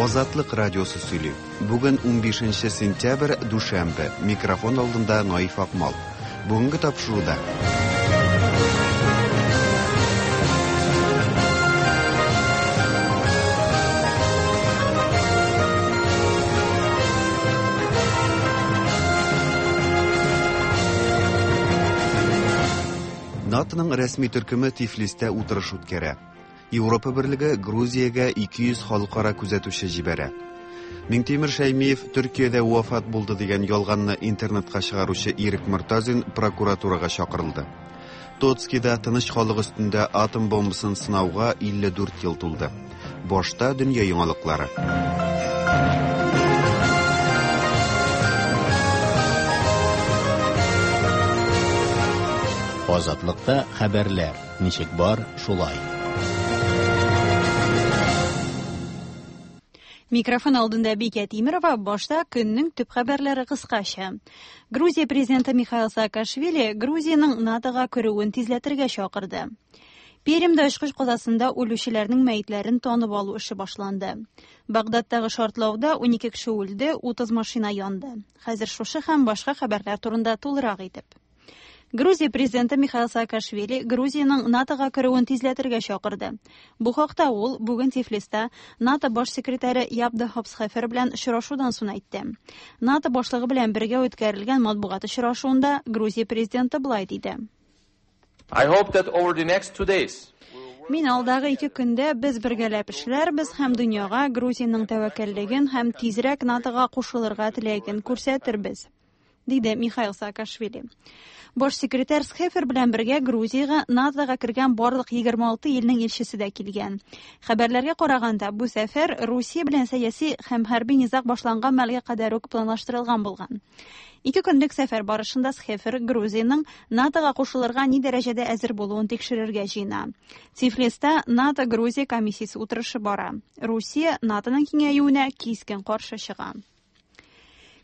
Азатлык радиосы сөйли. Бүген 15 сентябрь, дүшәмбе. Микрофон алдында Наиф Акмал. Бүгенге тапшыруда НАТОның рәсми төркеме Тифлистә утырыш үткәрә. Европа берлеге Грузиягә 200 халыкара күзәтүче җибәрә. Миңтимер Шәймиев Төркиядә вафат булды дигән ялганны интернетка чыгаручы Ирек Мортазин прокуратурага чакырылды. Тоцкида тыныч халык өстендә атом бомбасын сынауга 54 ел тулды. Башта дөнья яңалыклары. Азатлыкта хәбәрләр ничек бар, шулай. Микрофон алдында Бикә Тимерова, башта көннең төп хәбәрләре кыскача. Грузия президенты Михаил Саакашвили Грузиянең НАТОга керүен тизләтергә чакырды. Пермьдә очкыч казасында үлүчеләрнең мәетләрен танып алу эше башланды. Багдадтагы шартлауда 12 кеше үлде, 30 машина янды. Хәзер шушы һәм башка хәбәрләр турында тулырак итеп. Грузия президенты Михаил Саакашвили Грузиянең НАТОга керүен тизләтергә чакырды. Бу хакта ул бүген Тифлиста НАТО баш секретаре Ябда Хопсхефер белән очрашудан соң әйтте. НАТО башлыгы белән бергә үткәрелгән матбугат очрашуында Грузия президенты болай диде. I hope that over the next 2 days Мин алдагы 2 көндә без бергәләп эшләрбез һәм дөньяга Грузиянең тәвәккәллеген һәм тизрәк НАТОга кушылырга теләген күрсәтербез, диде Михаил Саакашвили. Баш секретарь Схефер белән бергә Грузиягә НАТОга кергән барлык 26 илнең илчесе дә килгән. Хәбәрләргә караганда, бу сәфәр Русия белән сәяси һәм хәрби низаг башланган мәлгә кадәр үк планлаштырылган булган. 2 көнлек сәфәр барышында Схефер Грузиянең НАТОга кушылырга ни дәрәҗәдә әзер булуын тикшерергә җыена. Тифлиста НАТО-Грузия комиссиясе утырышы бара. Русия НАТОның киңәюенә кискен каршы чыга.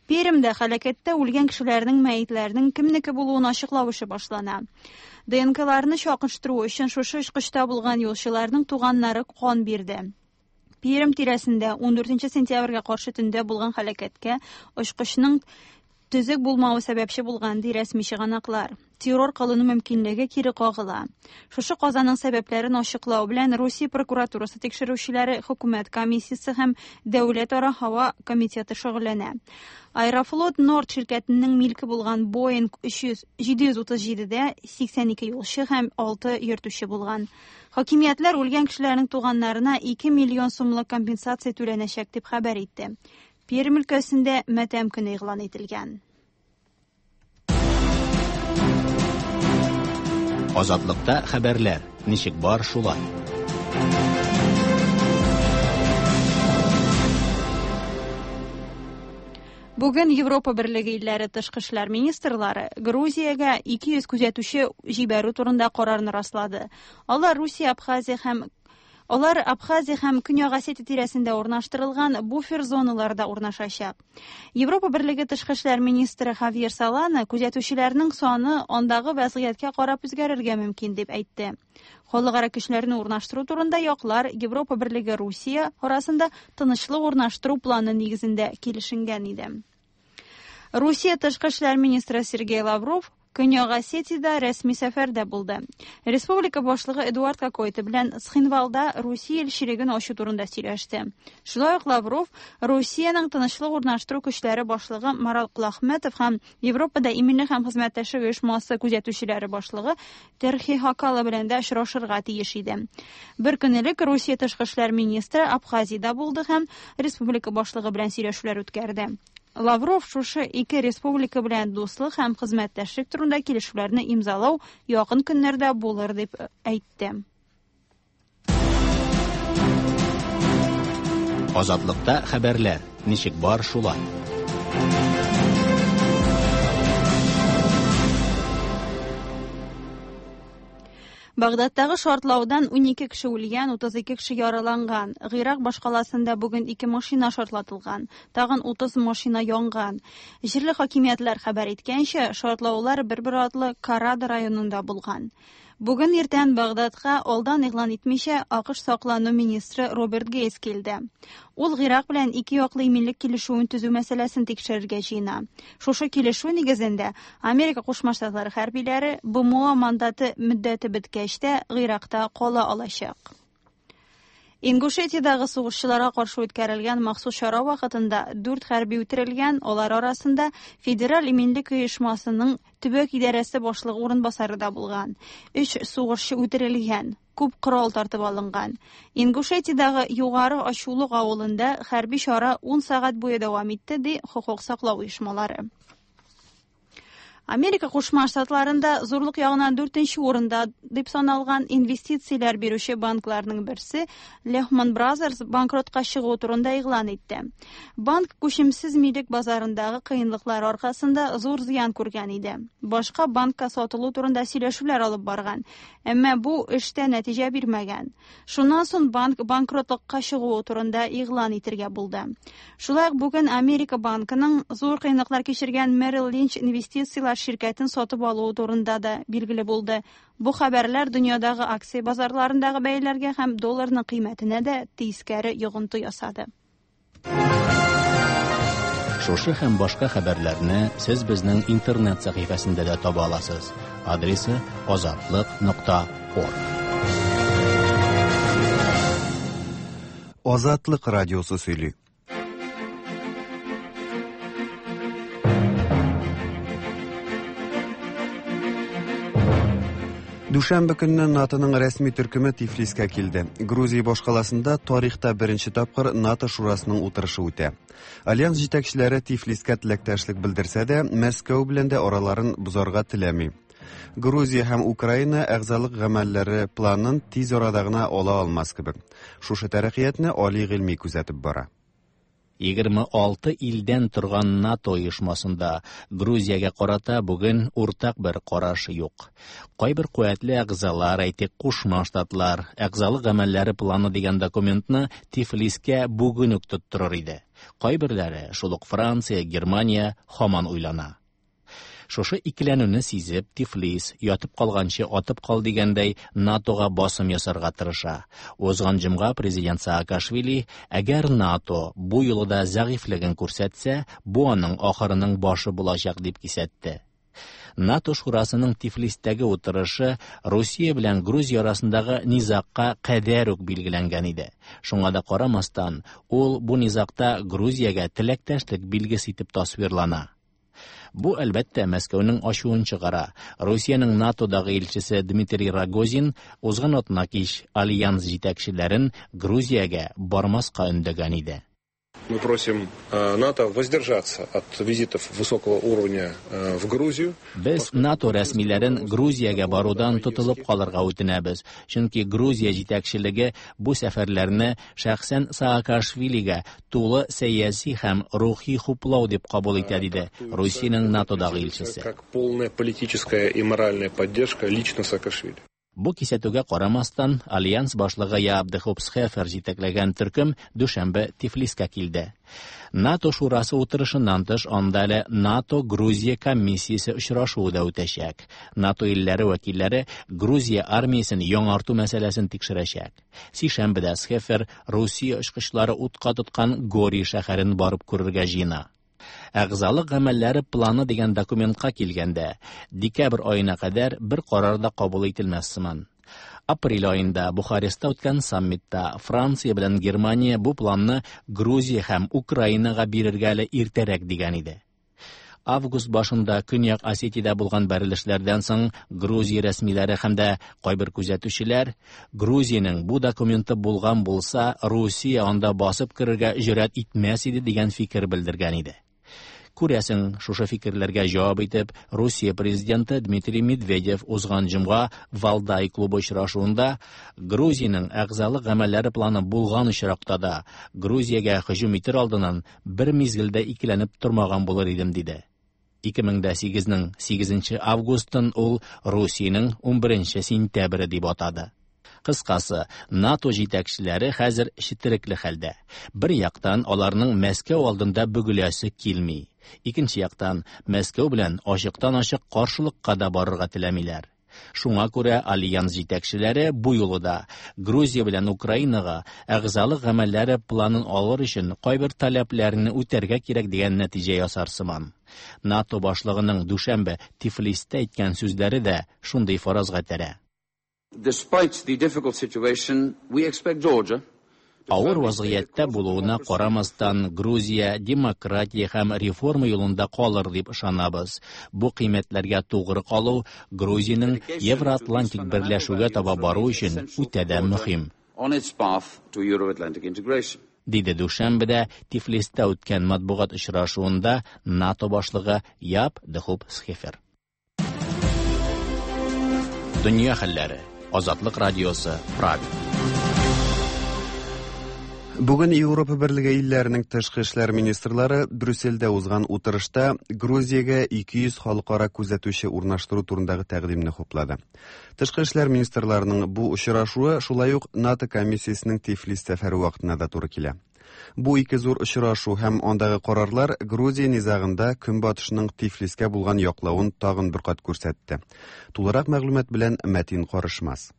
Пермьдә һәлакәттә үлгән кешеләрнең мәетләренең кемнеке булуын ачыклау эше башлана. ДНКларны чагыштыру өчен шушы очкычта булган юлчыларның туганнары кан бирде. Пермь тирәсендә 14 сентябрьгә каршы төндә булган һәлакәткә очкычның төзек булмавы сәбәпче булган, ди рәсми чыганаклар. Террор кылыну мөмкинлеге кире кагыла. Шушы казаның сәбәпләрен ачыклау белән Русия прокуратурасы тикшерүчеләре, хөкүмәт комиссиясе һәм Дәүләтара һава комитеты шөгыльләнә. Аэрофлот Норд ширкәтенең милке булган Boeing 737-дә 82 юлчы һәм 6 йөртүче булган. Хакимиятләр үлгән кешеләрнең туганнарына 2 миллион сумлык компенсация түләнәчәк дип хәбәр итте. Пермь өлкәсендә матәм көне игълан ителгән. Азатлыкта хәбәрләр ничек бар, шулай. Бүген Европа Берлеге илләре тышкы эшләр министрлары Грузиягә 200 күзәтүче җибәрү турында карарны раслады. Алар Абхазия һәм Көньяк Осетия тирәсендә урнаштырылган буфер зоналарда урнашачак. Европа Берлеге тышкы эшләр министры Хавьер Солана күзәтүчеләрнең саны андагы вазгыятькә карап үзгәрергә мөмкин дип әйтте. Халыкара көчләрне урнаштыру турында яклар Европа Берлеге Русия арасында тынычлык урнаштыру планы нигезендә килешенгән иде. Русия тышкы эшләр министры Сергей Лавров Көньяк Осетиядә рәсми сәфәрдә булды. Республика башлыгы Эдуард Кокойты белән Цхинвалда Русия илчелеген ачу турында сөйләште. Шулай ук Лавров Русиянең тынычлык урнаштыру көчләре башлыгы Марал Кулахметов һәм Европада иминлек һәм хезмәттәшлек оешмасы күзәтүчеләре башлыгы Терхи Хакала белән дә очрашырга тиеш иде. Бер көн элек Русия тышкы эшләр министры Абхазиядә булды һәм республика башлыгы белән сөйләшүләр үткәрде. Лавров шушы ике республика белән дуслык һәм хезмәттәшлек турында килешүләрне имзалау якын көннәрдә булыр дип әйтте. Азатлыкта хәбәрләр ничек бар, шулай. Багдадтагы шартлаудан 12 кеше үлгән, 32 кеше яраланган. Гыйрак башкаласында бүген ике машина шартлатылган, тагын 30 машина янган. Җирле хакимиятләр хәбәр иткәнчә, шартлаулар бер-бер артлы Карада районында булган. Бүген иртән Багдадка алдан игълан итмичә АКШ саклану министры Роберт Гейтс килде. Ул Гыйрак белән ике яклы иминлек килешүен төзү мәсьәләсен тикшерергә җыена. Шушы килешү нигезендә Америка Кушма Штатлары хәрбиләре БМО мандаты мөддәте беткәч тә Гыйракта кала алачак. Ингушетиядәге сугышчыларга каршы үткәрелгән махсус чара вакытында дүрт хәрби үтерелгән, алар арасында Федераль иминлек оешмасының төбәк идарәсе башлыгы урынбасары да булган. Өч сугышчы үтерелгән, күп корал тартып алынган. Ингушетиядәге Югары Ачулык авылында хәрби чара 10 сәгать буе дәвам итте, ди хокук саклау оешмалары. Америка Кушма Штатларында зурлык ягыннан дүртенче урында дип саналган инвестицияләр бирүче банкларның берсе Lehman Brothers банкротка чыгу турында игълан итте. Банк күчемсез милек базарындагы кыенлыклар аркасында зур зыян күргән иде. Башка банкка сатылу турында сөйләшүләр алып барган, әмма бу эштә нәтиҗә бирмәгән. Шуннан соң банк банкротлыкка чыгуы турында игълан итергә булды. Шулай ук бүген Америка банкының зур кыенлыклар кичергән Merrill Lynch инвестицияләр ширкәтен сатып алуы турында да билгеле булды. Бу хәбәрләр дөньядагы акция базарларындагы бәяләргә һәм долларның кыйммәтенә дә тискәре йогынты ясады. Шушы һәм башка хәбәрләрне сез безнең интернет сәхифәсендә дә таба аласыз. Адресы азатлык.орг. Азатлык радиосы сөйли. Дүшәмбе көнне НАТОның рәсми төркеме Тифлискә килде. Грузия башкаласында тарихта беренче тапкыр НАТО шурасының утырышы үтә. Альянс җитәкчеләре Тифлискә теләктәшлек белдерсә дә, Мәскәү белән дә араларын бозарга теләми. Грузия һәм Украина әгъзалык гамәлләре планын тиз арада гына ала алмас кебек. Шушы тәрәккыятне Али Гыйльми күзәтеп бара. 26 илдән торган НАТО оешмасында Грузиягә карата бүген уртак бер караш юк. Кайбер куәтле әгъзалар, әйтик, Кушма Штатлар, әгъзалык гамәлләре планы дигән документны Тифлискә бүген үк тоттырыр иде. Кайберләре, шул ук Франция, Германия, һаман уйлана. Шушы икеләнүне сизеп, Тифлис, ятып калганчы атып кал дигәндәй, НАТОга басым ясарга тырыша. Узган җомга президент Саакашвили, әгәр НАТО бу юлы да зәгыйфьлеген күрсәтсә, бу аның ахырының башы булачак дип кисәтте. НАТО шурасының Тифлистәге утырышы Русия белән Грузия арасындагы низагка кадәр үк билгеләнгән иде. Шуңа да карамастан, ул бу низагта Грузиягә теләктәшлек билгесе итеп тасвирлана. Бу, әлбәттә, Мәскәүнең ачуын чыгара. Русиянең НАТОдагы илчесе Дмитрий Рогозин узган атна кич альянс җитәкчеләрен Грузиягә бармаска өндәгән иде. Мы просим НАТО воздержаться от визитов высокого уровня в Грузию. Без НАТО рәсмиләрен Грузиягә барудан тотылып калырга үтенәбез, чөнки Грузия җитәкчелеге бу сәфәрләрне шәхсән Саакашвилигә тулы сәяси һәм рухи хуплау дип кабул итә, диде Русиянең НАТОдагы илчесе. Как полная политическая и моральная поддержка лично Саакашвили. Бу кисәтүгә карамастан, Альянс башлыгы Яап де Хоп Схефер җитәкләгән төркем дүшәмбе Тифлискә килде. НАТО шурасы утырышыннан тыш, анда әле НАТО-Грузия комиссиясе очрашуы да үтәчәк. НАТО илләре вәкилләре Грузия армиясен яңарту мәсьәләсен тикшерәчәк. Сишәмбедә Схефер Русия очкычлары утка тоткан Гори шәһәрен барып күрергә җыена. Әгъзалык гамәлләре планы дигән документка килгәндә, декабрь аена кадәр бер карар да кабул ителмәс сыман. Апрель аенда Бухарестта үткән саммитта Франция белән Германия бу планны Грузия һәм Украинага бирергә әле иртәрәк дигән иде. Август башында Көньяк Осетиядә булган бәрелешләрдән соң Грузия рәсмиләре һәм дә кайбер күзәтүчеләр Грузиянең бу документы булган булса, Русия анда басып керергә җөрьәт итмәс иде дигән фикер белдергән иде. Күрәсең, шушы фикерләргә җавап итеп, Русия президенты Дмитрий Медведев узган җомга Валдай клубы очрашуында Грузиянең әгъзалык гамәлләре планы булган очракта да Грузиягә һөҗүм итер алдыннан бер мизгелдә икеләнеп тормаган булыр идем, диде. 2008-нең 8 августын ул Русиянең 11 сентябре дип атады. Кыскасы, НАТО җитәкчеләре хәзер четерекле хәлдә. Бер яктан аларның Мәскәү алдында бөгеләсе килми. Икенче яктан Мәскәү белән ачыктан-ачык каршылыкка да барырга теләмиләр. Шуңа күрә альянс җитәкчеләре бу юлы да Грузия белән Украинага әгъзалык гамәлләре планын алыр өчен кайбер таләпләрне үтәргә кирәк дигән нәтиҗә ясар сыман. НАТО башлыгының дүшәмбе Тифлистә әйткән сүзләре дә шундый фаразга этәрә. Despite the difficult situation, we expect Georgia Авыр вазгыятьтә булуына карамастан, Грузия демократия һәм реформа юлында калыр дип ышанабыз. Бу кыйммәтләргә тугры калу Грузиянең Евроатлантик берләшүгә таба бару өчен үтә дә мөһим. On its path to Euro-Atlantic integration. Диде Дүшәмбедә Тифлистә үткән матбугат очрашуында НАТО башлыгы Яп де Хуп Схефер. Дөнья хәлләре. Азатлык радиосы, Прага. Бүген Европа Берлеге илләренең тышкы эшләр министрлары Брюссельдә узган утырышта Грузиягә 200 халыкара күзәтүче урнаштыру турындагы тәкъдимне хуплады. Тышкы эшләр министрларының бу очрашуы шулай ук НАТО комиссиясенең Тифлис сәфәре вакытына да туры килә. Бу ике зур очрашу һәм андагы карарлар Грузия низагында Көнбатышның Тифлискә булган яклавын тагын бер кат күрсәтте. Тулырак мәгълүмат белән Мәтин Карышмас.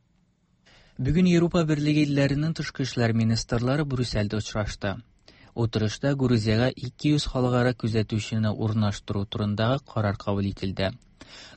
Бүген Европа Берлеге илләренең тышкы эшләр министрлары Брюссельдә очрашты. Утырышта Грузиягә 200 халыкара күзәтүчене урнаштыру турындагы карар кабул ителде.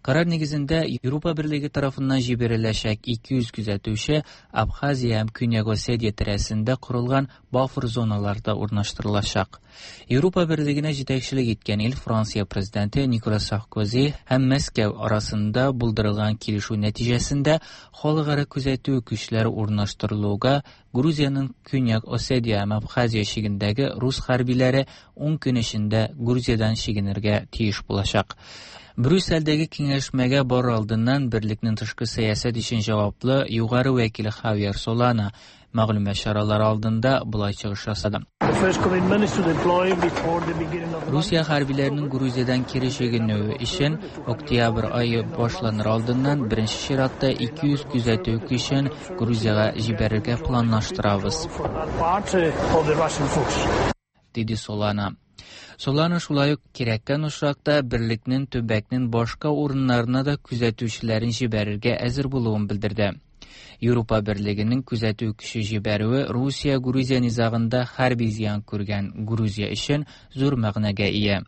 Карар нигезендә Европа Берлеге тарафыннан җибәреләчәк 200 күзәтүче Абхазия һәм Көньяк Осетия тирәсендә корылган буфер зоналарда урнаштырылачак. Европа Берлегенә җитәкчелек иткән ил Франция президенты Николас Саркози һәм Мәскәү арасында булдырылган килешү нәтиҗәсендә халыкара күзәтү көчләре урнаштырылуга Грузиянең Көньяк Осетия һәм Абхазия чигендәге рус хәрбиләре 10 көн эчендә Грузиядән чигенергә тиеш булачак. Брюссельдәге киңәшмәгә барыр алдыннан берлекнең тышкы сәясәт өчен җаваплы югары вәкиле Хавьер Солана мәгълүмат чаралары алдында болай чыгыш ясады. Русия хәрбиләренең Грузиядән кире чигенүе өчен октябрь ае башланыр алдыннан беренче чиратта 200 күзәтү көчен Грузиягә җибәрергә планлаштырабыз, диде Солана. Солана шулай ук кирәккән очракта берлекнең төбәкнең башка урыннарына да күзәтүчеләрен җибәрергә әзер булуын белдерде. Европа Берлегенең күзәтү көче җибәрүе Русия-Грузия низагында хәрби зыян күргән Грузия өчен зур мәгънәгә ия.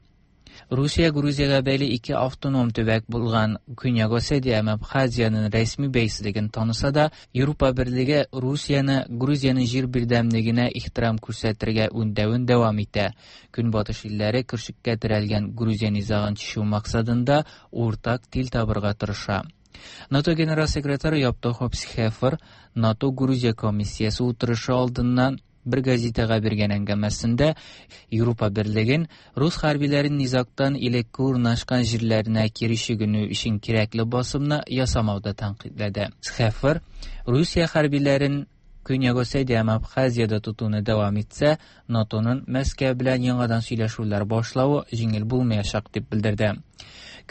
Русия Грузиягә бәйле ике автоном төбәк булган Көньяк Осетия һәм Абхазиянең рәсми бәйсезлеген таныса да, Европа Берлеге Русияне Грузиянең җир бердәмлегенә ихтирам күрсәтергә үндәвен дәвам итә. Көнбатыш илләре көршеккә терәлгән Грузия низагын чишү максатында уртак тел табырга тырыша. НАТО генераль секретаре Яп де Хоп Схефер НАТО Грузия комиссиясе утырышы алдыннан бер газетага биргән әңгәмәсендә Европа Берлеген рус хәрбиләрен низагтан элекке урнашкан җирләренә кире чигенү өчен кирәкле басымны ясамауда тәнкыйтьләде. Схефер Русия хәрбиләрен Көньяк Осетия һәм Абхазиядә тотуны дәвам итсә, НАТОның Мәскәү белән яңадан сөйләшүләр башлавы җиңел булмаячак дип белдерде.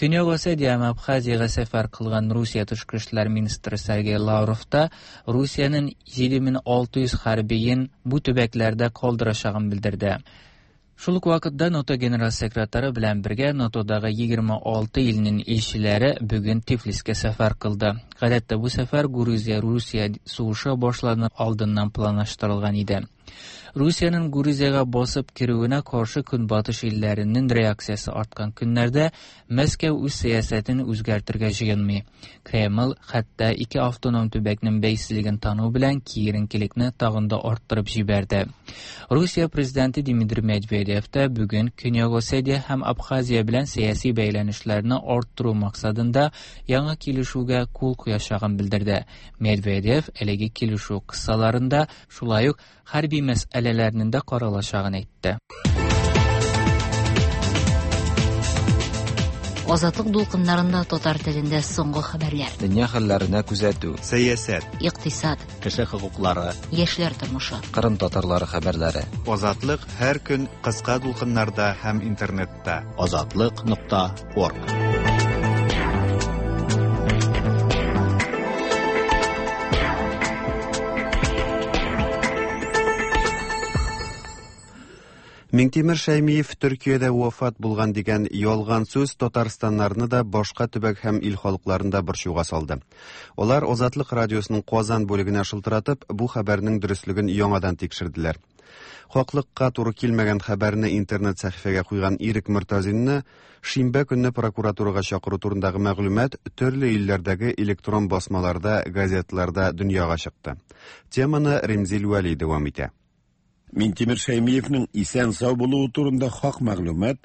Көньяк Осетия һәм Абхазиягә сәфәр кылган Русия тышкы эшләр министры Сергей Лавров та Русиянең 7600 хәрбиен бу төбәкләрдә калдырачагын белдерде. Шул ук вакытта НАТО генераль секретаре белән бергә НАТОдагы 26 илнең илчеләре бүген Тифлискә сәфәр кылды. Гадәттә бу сәфәр Грузия-Русия сугышы башланыр алдыннан планлаштырылган иде. Русиянең Грузиягә басып керүенә каршы Көнбатыш илләренең реакциясе арткан көннәрдә Мәскәү үз сәясәтен үзгәртергә җыенмый. Кремль хәтта ике автоном төбәкнең бәйсезлеген тану белән киеренкелекне тагын да арттырып җибәрде. Русия президенты Дмитрий Медведев та бүген Көньяк Осетия һәм Абхазия белән сәяси бәйләнешләрне арттыру максатында яңа килешүгә кул куячагын белдерде. Медведев әлеге килешү кысаларында шулай ук хәрби мәсьәләләрнең дә каралачагын әйтте. Азатлык дулкыннарында татар телендә соңгы хәбәрләр. Дөнья хәлләренә күзәтү. Сәясәт. Икътисад. Кеше хокуклары. Яшьләр тормышы. Кырым татарлары хәбәрләре. Азатлык һәр көн кыска дулкыннарда һәм интернетта. Азатлык нокта орг. Миңтимер Шәймиев Төркиядә вафат булган дигән ялган сүз татарстаннарны да, башка төбәк һәм ил халыкларын да борчуга салды. Алар Азатлык радиосының Казан бүлегенә шылтыратып, бу хәбәрнең дөреслеген яңадан тикшерделәр. Хаклыкка туры килмәгән хәбәрне интернет сәхифәгә куйган Ирек Мортазинны шимбә көнне прокуратурага чакыру турындагы мәгълүмат төрле илләрдәге электрон басмаларда, газетларда дөньяга чыкты. Теманы Ремзил Вәли дәвам итә. Минтимер Шәймиевнең исән-сау булуы турында хак мәгълүмат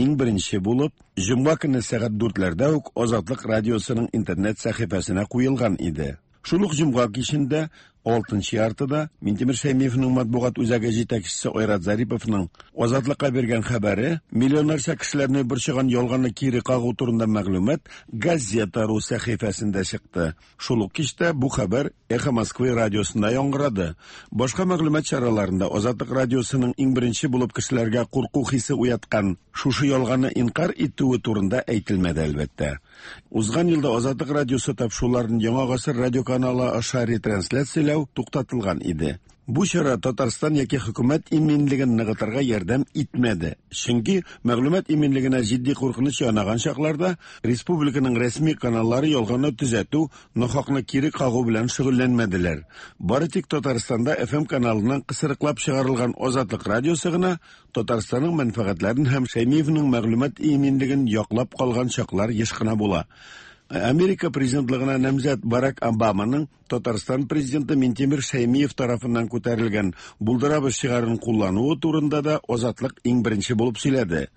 иң беренче булып, җомга көнне сәгать дүртләрдә үк Азатлык радиосының интернет сәхифәсенә куелган иде. Шул ук җомга кичендә, алтынчы яртыда, Минтимер Шәймиевнең матбугат үзәге җитәкчесе Айрат Зариповның Азатлыкка биргән хәбәре, миллионнарча кешеләрне борчыган ялганны кире кагу турында мәгълүмат Газета.ру сәхифәсендә чыкты. Шул ук кичтә бу хәбәр Эхо Москвы радиосында яңгырады. Башка мәгълүмат чараларында Азатлык радиосының иң беренче булып кешеләргә курку хисе уяткан шушы ялганны инкар итүе турында әйтелмәде, әлбәттә. Узган елда Азатлык радиосы тапшыруларын Яңа гасыр радиоканалы аша ретрансляцияләү туктатылган иде. Бу чара Татарстан яки хөкүмәт иминлеген ныгытырга ярдәм итмәде. Чөнки мәгълүмат иминлегенә җитди куркыныч янаган чакларда республиканың рәсми каналлары ялганны төзәтү, нахакны кире кагу белән шөгыльләнмәделәр. Бары тик Татарстанда FM каналыннан кысрыклап чыгарылган Азатлык радиосы гына Татарстанның мәнфәгатьләрен һәм Шәймиевнең мәгълүмат иминлеген яклап калган чаклар еш кына була. Америка президентлыгына намзәт Барак Обаманың Татарстан президенты Минтимер Шәймиев тарафыннан күтәрелгән Булдырабыз шигарын куллануы турында да Азатлык иң беренче булып сөйләде.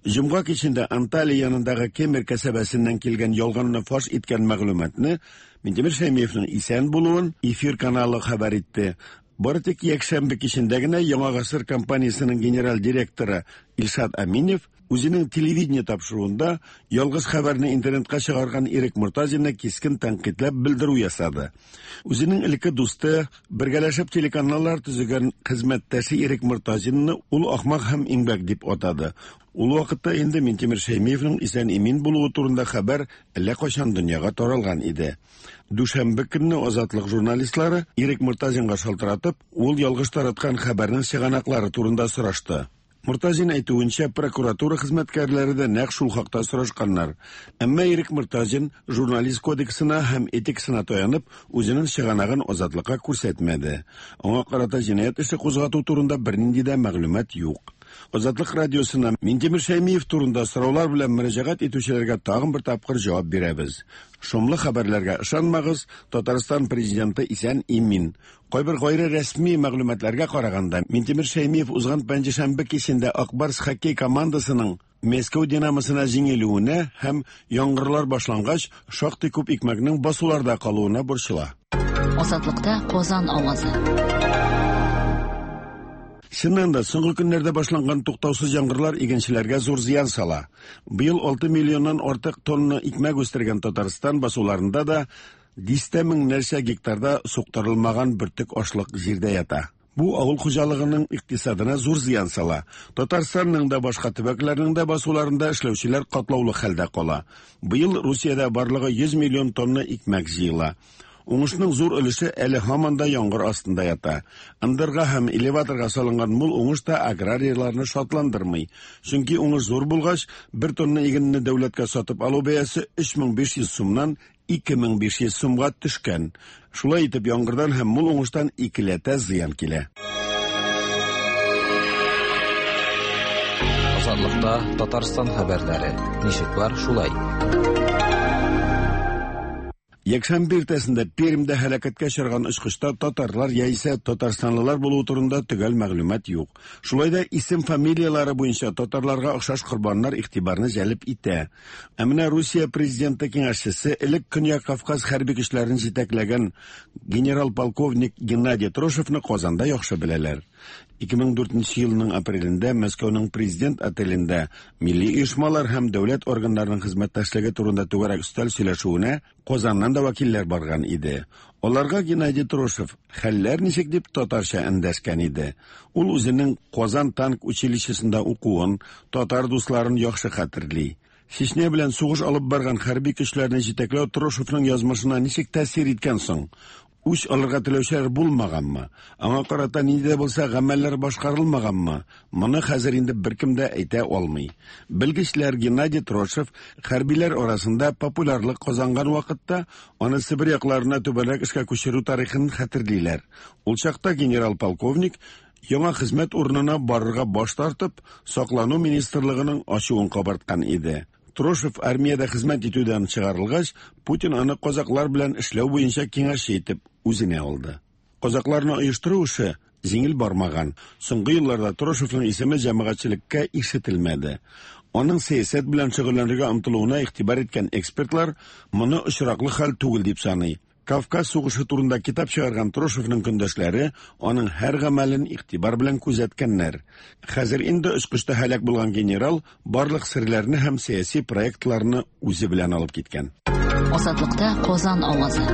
Җомга кичендә Анталия янындагы Кемер кәсәбәсеннән килгән ялганны фаш иткән мәгълүматны Минтимер Шәймиевнең исән булуын Эфир каналы хәбәр итте. Бары тик якшәмбе кичендә генә Яңа гасыр компаниясенең генераль директоры Илшат Аминев үзенең телевидение тапшыруында ялгыш хәбәрне интернетка чыгарган Ирек Мортазинны кискен тәнкыйтьләп белдерү ясады. Үзенең элекке дусты, бергәләшеп телеканаллар төзегән хезмәттәше Ирек Мортазинны ул ахмак һәм иңбәк дип атады. Ул вакытта инде Минтимер Шәймиевнең исән-имин булуы турында хәбәр әллә кайчан дөньяга таралган иде. Дүшәмбе көнне Азатлык журналистлары Ирек Мортазинга шалтыратып, ул ялгыш тараткан хәбәрнең чыганаклары турында сорашты. Мортазин әйтүенчә, прокуратура хезмәткәрләре дә нәкъ шул хакта сорашканнар. Әмма Ирек Мортазин журналист кодексына һәм этикасына таянып, үзенең чыганагын Азатлыкка күрсәтмәде. Аңа карата җинаять эше кузгату турында бернинди дә мәгълүмат юк. Азатлык радиосына Минтимер Шәймиев турында сораулар белән мөрәҗәгать итүчеләргә тагын бер тапкыр җавап бирәбез. Шомлы хәбәрләргә ышанмагыз, Татарстан президенты исән имин. Кайбер гайре рәсми мәгълүматларга караганда, Минтимер Шәймиев узган пәнҗешәмбе кичендә Ак Барс хоккей командасының Мәскәү Динамосына җиңелүенә һәм яңгырлар башлангач, шактый күп икмәкнең басуларда калуына борчыла. Азатлыкта Казан авазы. Чыннан да, соңгы көннәрдә башланган туктаусыз яңгырлар игенчеләргә зур зыян сала. Быел 6 миллионнан артык тонна икмәк үстергән Татарстан басуларында да дистә меңнәрчә гектарда суктырылмаган бөртек ашлык җирдә ята. Бу авыл хуҗалыгының икътисадына зур зыян сала. Татарстанның да, башка төбәкләрнең дә басуларында эшләүчеләр катлаулы хәлдә кала. Быел Русиядә барлыгы 100 миллион тонна икмәк җыела. Уңышның зур өлеше әле һаман да яңгыр астында ята. Ындырга һәм элеваторга салынган мул уңыш та аграрийларны шатландырмый. Чөнки уңыш зур булгач, бер тонна игенне дәүләткә сатып алу бәясе 3500 сумнан 2500 сумга төшкән. Шулай итеп, яңгырдан һәм мул уңыштан икеләтә зыян килә. Азатлыкта Татарстан хәбәрләре. Ничек бар, шулай. Якшәмбе иртәсендә Пермьдә һәлакәткә очраган очкычта татарлар яисә татарстанлылар булуы турында төгәл мәгълүмат юк. Шулай да исем-фамилияләре буенча татарларга охшаш корбаннар игътибарны җәлеп итә. Ә менә Русия президенты киңәшчесе, элек Көньяк Кавказ хәрби көчләрен җитәкләгән генерал-полковник Геннадий Трошевны Казанда яхшы беләләр. 2004 елның апрелендә Мәскәүнең президент отелендә милли оешмалар һәм дәүләт органнарының хезмәттәшлеге турында түгәрәк өстәл сөйләшүенә Казаннан да вәкилләр барган иде. Аларга Геннадий Трошев хәлләр ничек дип татарча эндәшкән иде. Ул үзенең Казан танк училищесында укуын, татар дусларын яхшы хәтерли. Чечня белән сугыш алып барган хәрби көчләрне җитәкләү Трошевның язмышына ничек тәэсир иткән соң? Үч алырга теләүчеләр булмаганмы, аңа карата нинди дә булса гамәлләр башкарылмаганмы, моны хәзер инде беркем дә әйтә алмый. Белгечләр Геннадий Трошев хәрбиләр арасында популярлык казанган вакытта аны Себер якларына түбәнрәк эшкә күчерү тарихын хәтерлиләр. Ул чакта генерал-полковник яңа хезмәт урынына барырга баш тартып, Саклану министрлыгының ачуын кабарткан иде. Трошев армиядә хезмәт итүдән чыгарылгач, Путин аны казаклар белән эшләү буенча киңәшче итеп үзенә алды. Казакларны оештыру эше җиңел бармаган. Соңгы елларда Трошевның исеме җәмәгатьчелеккә ишетелмәде. Аның сәясәт белән шөгыльләнергә омтылуына игътибар иткән экспертлар моны очраклы хәл түгел дип саный. Кавказ сугышы турында китап чыгарган Трошевның көндәшләре аның һәр гамәлен игътибар белән күзәткәннәр. Хәзер инде очкычта һәлак булган генерал барлык серләрне һәм сәяси проектларны үзе белән алып киткән. Азатлыкта Казан авазы.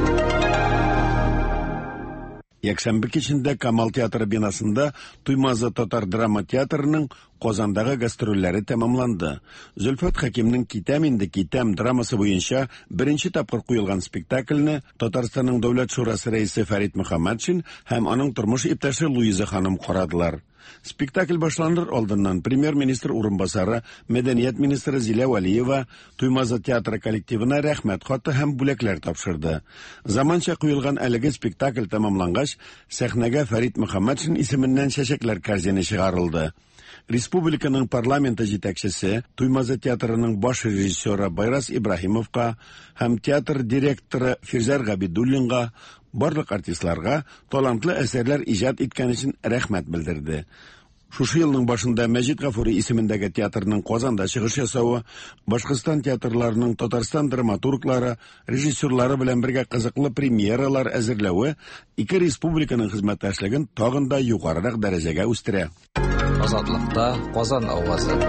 Якшәмбе кичендә Камал театры бинасында Туймазы татар драма театрының Казандагы гастрольләре тәмамланды. Зөлфәт Хәкимнең Китәм инде, китәм драмасы буенча беренче тапкыр куелган спектакльне Татарстанның Дәүләт шурасы рәисе Фәрит Мөхәммәтшин һәм аның тормыш иптәше Луиза ханым карадылар. Спектакль башланыр алдыннан премьер-министр урынбасары, мәдәният министры Зилә Вәлиева Туймазы театры коллективына рәхмәт хаты һәм бүләкләр тапшырды. Заманча куелган әлеге спектакль тәмамлангач, сәхнәгә Фәрит Мөхәммәтшин исеменнән чәчәкләр корзине чыгарылды. Республиканың парламенты җитәкчесе, Туймазы театрының баш режиссеры Байрас Ибраһимовка һәм театр директоры Фирзәр Габидуллинга, барлык артистларга талантлы әсәрләр иҗат иткән өчен рәхмәт белдерде. Шушы елның башында Мәҗит Гафури исемендәге театрның Казанда чыгыш ясавы, Башкортстан театрларының Татарстан драматурглары, режиссерлары белән бергә кызыклы премьералар әзерләве ике республиканың хезмәттәшлеген тагын да югарырак дәрәҗәгә үстерә. Азатлыкта Казан авазы.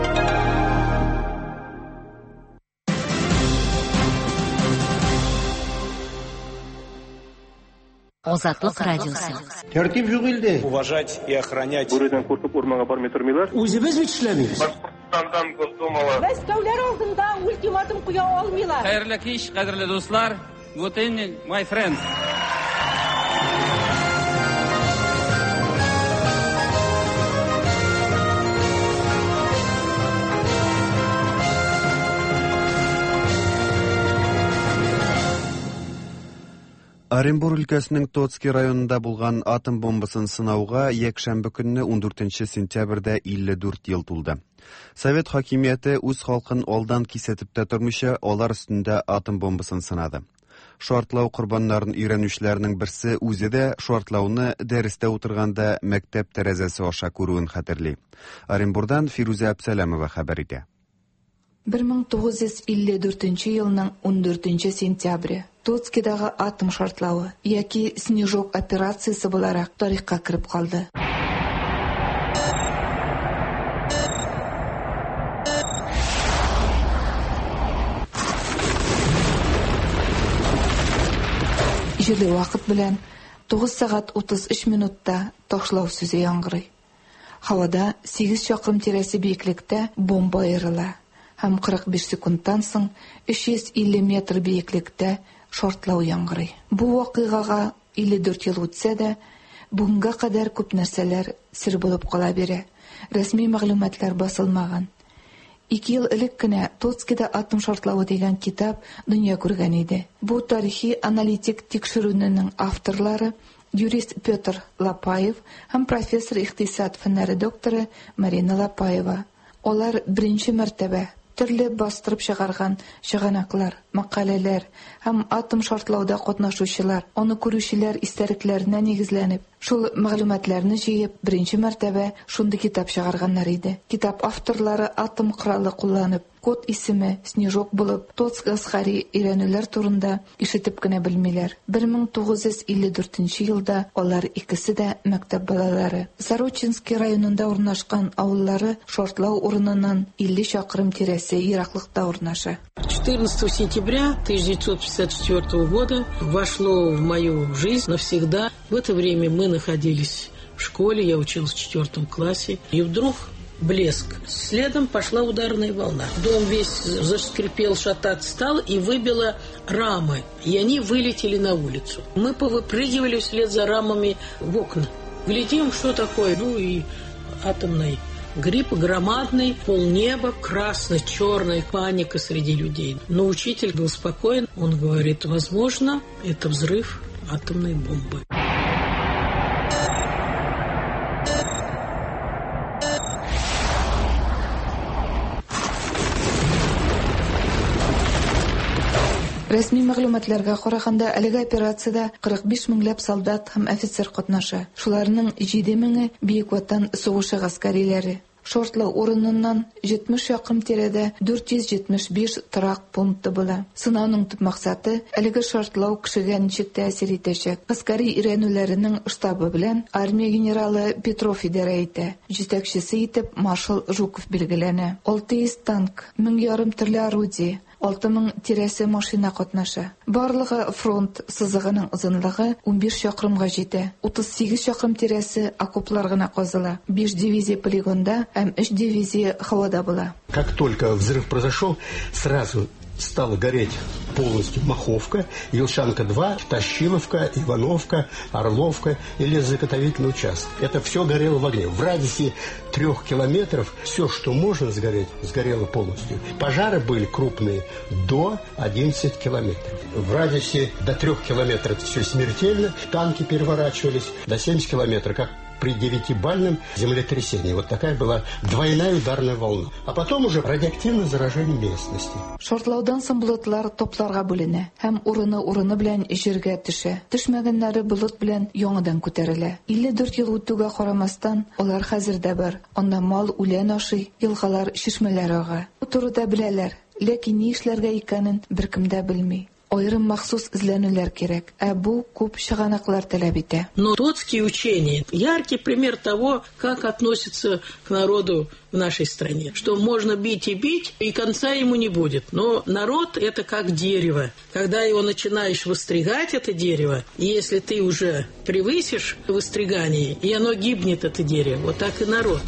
Азатлык радиосы. Тәртип юк илдә. Уважать и охранять. Бүредән куркып урманга бармый тормыйлар. Үзебез бит эшләмибез. Башкортстандан Госдумала. Мәскәүләр алдында ультиматум куя алмыйлар. Хәерле кич, кадерле дуслар. Good evening, my friends. Оренбур өлкәсенең Тоцкий районында булган атом бомбасын сынауга якшәмбе көнне 14 сентябрьдә 54 ел тулды. Совет хакимияте үз халкын алдан кисәтеп тә тормыйча, алар өстендә атом бомбасын сынады. Шартлау корбаннарын өйрәнүчеләрнең берсе үзе дә шартлауны дәрестә утырганда мәктәп тәрәзәсе аша күрүен хәтерли. Оренбурдан Фирүзә Әпсәләмова хәбәр итә. 1954 елның 14 сентябре Тоцкидагы атом шартлавы яки Снежок операциясе буларак тарихка кереп калды. Җирле вакыт белән 9 сәгать 33 минутта ташлау сүзе яңгырый. Һавада 8 чакрым тирәсе биеклектә бомба аерыла һәм 45 секундтан соң 350 метр биеклектә шартлау яңгырый. Бу вакыйгага 54 ел үтсә дә, бүгенгә кадәр күп нәрсәләр сер булып кала бирә. Рәсми мәгълүматлар басылмаган. Ике ел элек кенә Тоцкида атом шартлавы дигән китап дөнья күргән иде. Бу тарихи аналитик тикшерүнең авторлары юрист Петр Лапаев һәм профессор икътисад фәннәре докторы Марина Лапаева. Алар беренче мәртәбә төрле бастырып чыгарган чыганаклар, мәкаләләр һәм атом шартлауда катнашучылар, аны күрүчеләр истәлекләренә нигезләнеп, шул мәгълүматларны җыеп, беренче мәртәбә шундый китап чыгарганнар иде. Китап авторлары атом коралы кулланып, код исеме Снежок булып, Тоцк гаскәри өйрәнүләр турында ишетеп кенә белмиләр. 1954 елда алар икесе дә мәктәп балалары. Сорочинский районында урнашкан авыллары шартлау урыныннан 50 чакрым тирәсе ераклыкта урнаша. 14 сентября 1954 года вошло в мою жизнь навсегда. В это время мы находились в школе, я училась в 4 классе. И вдруг Блеск. Следом пошла ударная волна. Дом весь заскрипел, шататься стал и выбило рамы. И они вылетели на улицу. Мы повыпрыгивали вслед за рамами в окна. Глядим, что такое. Ну и атомный гриб громадный, полнеба, красно-черная паника среди людей. Но учитель был спокоен. Он говорит, возможно, это взрыв атомной бомбы. Рәсми мәгълүматларга караганда, әлеге операциядә 45 меңләп солдат һәм офицер катнаша. Шуларның 7 меңе Бөек Ватан сугышы гаскәриләре. Шартлау урыныннан 70 чакрым тирәдә 475 торак пункты була. Сынауның төп максаты әлеге шартлау кешегә ничек тәэсир итәчәк. Гаскәри өйрәнүләренең штабы белән армия генералы Петров идарә итә. Җитәкчесе итеп маршал Жуков билгеләнә. 600 танк, 1500 төрле орудие, 6000 тирәсе машина катнаша. Барлыгы фронт сызыгының озынлыгы 15 чакрымга җитә. 38 чакрым тирәсе окоплар гына казыла. 5 дивизия полигонда һәм 3 дивизия һавада була. Как только взрыв произошел, сразу стала гореть полностью Маховка, Елшанка-2, Тащиловка, Ивановка, Орловка и лесозаготовительный участок. Это все горело в огне. В радиусе 3 километров все, что можно сгореть, сгорело полностью. Пожары были крупные до 11 километров. В радиусе до 3 километров это все смертельно. Танки переворачивались до 70 километров, как при 9-бальном землетрясении. Вот такая была двойная ударная волна. А потом уже радиоактивное заражение местности. Шартлаудан соң болытлар топларга бүленә һәм урыны-урыны белән җиргә төшә. Төшмәгәннәре болыт белән яңадан күтәрелә. 54 ел үтүгә карамастан, алар хәзер дә бар. Анда мал үлән ашый, елгалар, чишмәләр ага. Бу турыда беләләр, ләкин ни эшләргә икәнен беркем дә белми. Аерым махсус эзләнүләр кирәк, ә бу күп чыганаклар таләп итә. Но Тоцкие учения – яркий пример того, как относятся к народу в нашей стране. Что можно бить и бить, и конца ему не будет. Но народ – это как дерево. Когда его начинаешь выстригать, это дерево, и если ты уже превысишь выстригание, и оно гибнет, это дерево. Вот так и народ.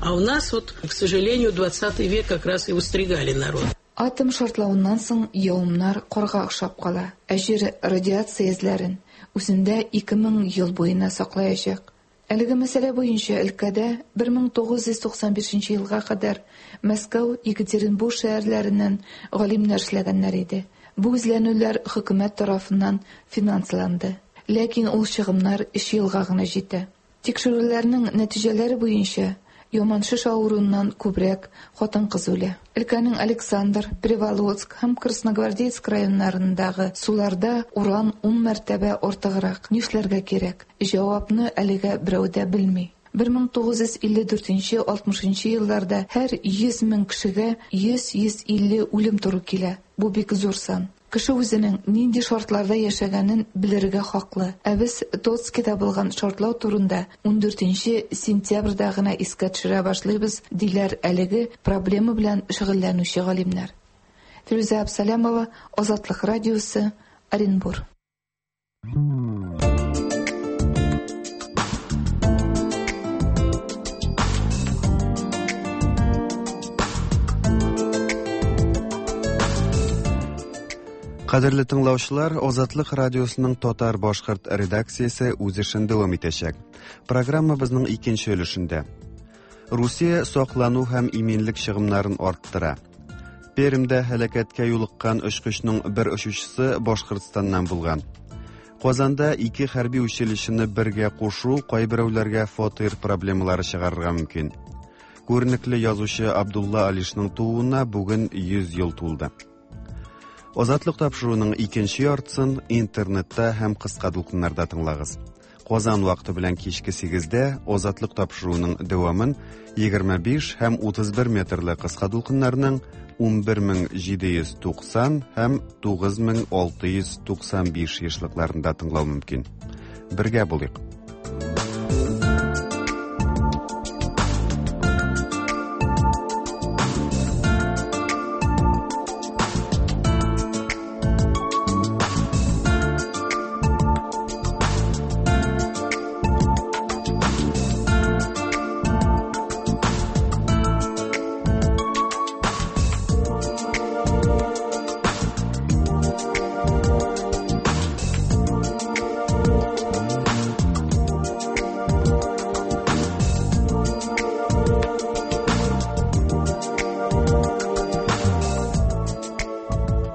А у нас, вот, к сожалению, 20 век как раз и выстригали народ. Атом шартлавыннан соң явымнар карга охшап кала. Ә җир радиация эзләрен үзендә 2000 ел буена саклаячак. Әлеге мәсьәлә буенча өлкәдә 1995 елга кадәр Мәскәү, Екатеринбург шәһәрләреннән галимнәр эшләгәннәр иде. Бу эзләнүләр хөкүмәт тарафыннан финансланды. Ләкин ул чыгымнар 3 елга гына җитә. Тикшерүләрнең нәтиҗәләре буенча яман шеш авыруыннан күбрәк хатын-кыз үлә. Өлкәнең Александр, Приволоцк һәм Красногвардейск районнарындагы суларда уран 10 мәртәбә артыграк. Нишләргә кирәк? Җавапны әлегә берәү дә белми. 1954-60 елларда һәр 100 мең кешегә 100-150 үлем туры килә. Бу бик зур сан. Кеше үзенең нинди шартларда яшәгәнен белергә хаклы. Ә без Тоцкида булган шартлау турында 14 сентябрьдә гына искә төшерә башлыйбыз, диләр әлеге проблема белән шөгыльләнүче галимнәр. Фирүзә Абсалямова, Азатлык радиосы, Оренбур. Кадерле тыңлаучылар, Азатлык радиосының татар башкорт редакциясе үз эшен дәвам итәчәк. Программабызның икенче өлешендә. Русия саклану һәм иминлек чыгымнарын арттыра. Пермьдә һәлакәткә юлыккан очкычның бер очучысы Башкортстаннан булган. Казанда ике хәрби училищены бергә кушу кайберәүләргә фатир проблемалары чыгарырга мөмкин. Күренекле язучы Абдулла Алишның тууына бүген 100 ел тулды. Азатлык тапшыруының икенче яртысын интернетта һәм кыска дулкыннарда тыңлагыз. Казан вакыты белән кичке 8-дә Азатлык тапшыруының дәвамын 25 һәм 31 метрлы кыска дулкыннарның 11790 һәм 9695 ешлыкларында тыңлау мөмкин. Бергә булыйк.